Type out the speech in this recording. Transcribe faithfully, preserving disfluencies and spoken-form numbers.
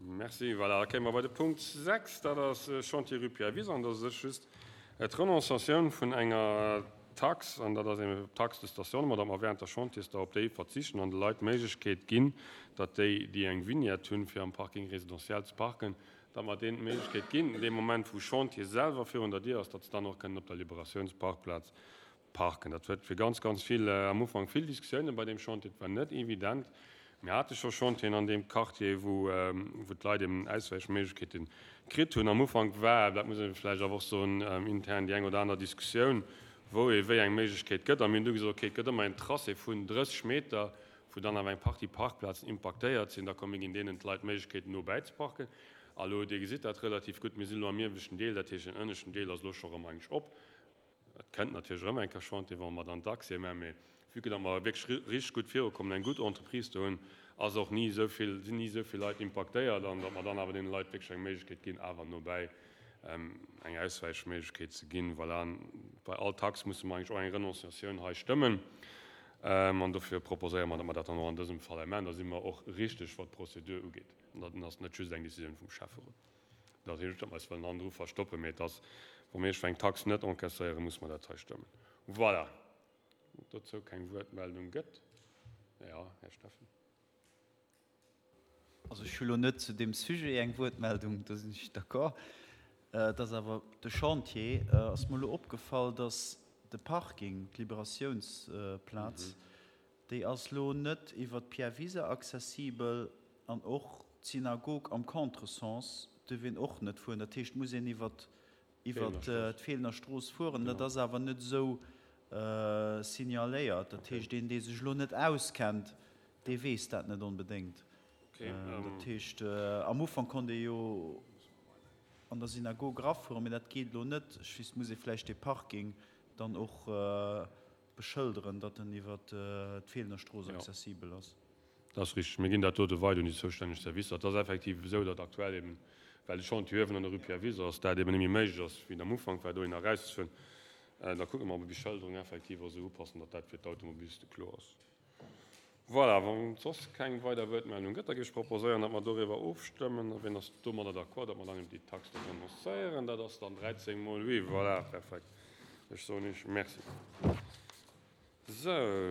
Merci. Voilà, da kéime mer bei de Punkt sechs, dat ass Chantier rue Pierre Wiser, an dat ass just d'Renonciatioun vun enger Tax, an dat ass eng Taxe de stationnement, datt mer während der Chantiers-Dauer op déi verzichten an de Leit d'Méiglechkeet ginn, datt déi, déi eng Vignette hunn, fir am Parking résidentiel ze parken, datt mer deenen d'Méiglechkeet ginn, dee Moment, wou Chantier selwer virun der Dier ass, datt se dann och kënnen op der Liberatiounsparkplaz parken. Dat huet fir ganz, ganz vill, am Ufank vill Diskussiounen bei deem Chantier. Et war net evident. Mir hate scho Chantieren an deem Quartier, wou, wou d'Leit eben Auswäichméiglechkeete kritt hunn. Am Ufank war, dat muss ee vläicht awer och soen, intern déi eng oder aner Diskussioun, wou ee wéi eng Méiglechkeet gëtt. A mir hunn du gesot, okay, et gëtt ëmmer en Tracé vun drësseg Meter, wou dann awer eng Partie Parkplazen impaktéiert sinn. Da komm, mir ginn deenen d'Leit d'Méiglechkeet, no bäizeparken. A lo, Dir gesitt dat relativ gutt, mir sinn elo am ieweschten Deel, dat heescht, den ënneschten Deel ass elo scho erëm eigentlech op. Et kënnt natierlech erëm eng Kéier Chantier, wa mer dann d'Accès maachen, mee vue que datt mer wierklech richteg gutt virukommen, eng gutt Entreprise do hunn, ass och ni esou vill, sinn ni esou vill Leit impaktéiert an datt mer dann awer deene Leit wierklech eng Méiglechkeet ginn, awer nobäi eng Auswäichméiglechkeet ze ginn. Voilà, bei all Tax musse mer eigentlech och eng Renonciatioun hei stëmmen an dofir proposéiere mer, datt mer dat dann och an dësem Fall hei maachen. Da si mer och richteg, wat d'Prozedur ugeet. An dat ass net just eng Décisioun vum Schäfferot. Dat heescht net, datt mer eis wëllen hannendru verstoppen, mee et ass, wa mir iergendwou eng Tax net encaisséieren, musse mer dat hei stëmmen. Voilà. Wann et dozou keng Wuertmeldung gëtt. Jo, Här Steffen. Also ech hu lo net zu deem Sujet eng Wuertmeldung, do sinn ech d'accord. Et ass awer de Chantier, ass mer elo opgefall, dass de Parking, d'Liberatiounsplaz, déi ass lo net iwwer d'Pierre Wiser accessibel an och d'Synagog am Contresens duerf een och net fueren. Dat heescht, et muss een iwwer d'Feelener Strooss fueren. Dat ass awer net esou signaléiert. Dat heescht, een, dee sech elo net auskennt, dee weess dat net onbedéngt. Dat heescht, am Ufank konnt ee jo an der Synagog erafueren, mee dat geet elo net. Ech weess, muss ee vläicht dee Parking dann och beschëlderen, datt en iwwer d'Feelener Strooss accessibel ass. Dat ass richteg. Mir ginn dat dote weider un déi zoustänneg Servicer. Et ass effektiv esou, datt aktuell eben, well de Chantier uewen an der Rue Pierre Wiser ass, dat eben net méi méiglech ass, wéi et am Ufank war, dohinner erauszefueren. Da kucke mer, ob mer déi Beschëlderung effektiv och esou upassen, datt dat fir d'Automobiliste kloer ass. Voilà, wann et soss keng weider Wuertmeldung gëtt, da géif ech proposéieren, datt mer doriwwer ofstëmmen. A wien ass domadder d'accord, datt mer dann eben déi Tax do renoncéieren? Dat ass dann dräizéng mol oui. Voilà, perfekt. Ech soen Iech Merci. Sou.